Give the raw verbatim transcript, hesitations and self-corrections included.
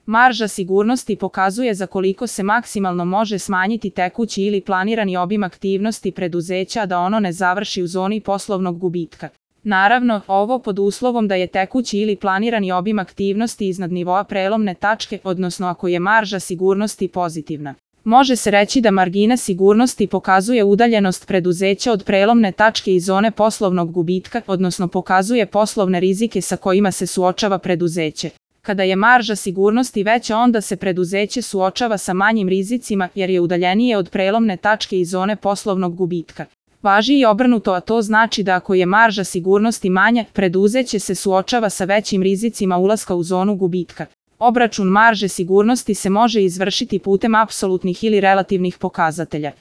Marža sigurnosti pokazuje za koliko se maksimalno može smanjiti tekući ili planirani obim aktivnosti preduzeća da ono ne završi u zoni poslovnog gubitka. Naravno, ovo pod uslovom da je tekući ili planirani obim aktivnosti iznad nivoa prelomne tačke, odnosno ako je marža sigurnosti pozitivna. Može se reći da margina sigurnosti pokazuje udaljenost preduzeća od prelomne tačke i zone poslovnog gubitka, odnosno pokazuje poslovne rizike sa kojima se suočava preduzeće. Kada je marža sigurnosti veća, onda se preduzeće suočava sa manjim rizicima jer je udaljenije od prelomne tačke i zone poslovnog gubitka. Važi i obrnuto, a to znači da ako je marža sigurnosti manja, preduzeće se suočava sa većim rizicima ulaska u zonu gubitka. Obračun marže sigurnosti se može izvršiti putem apsolutnih ili relativnih pokazatelja.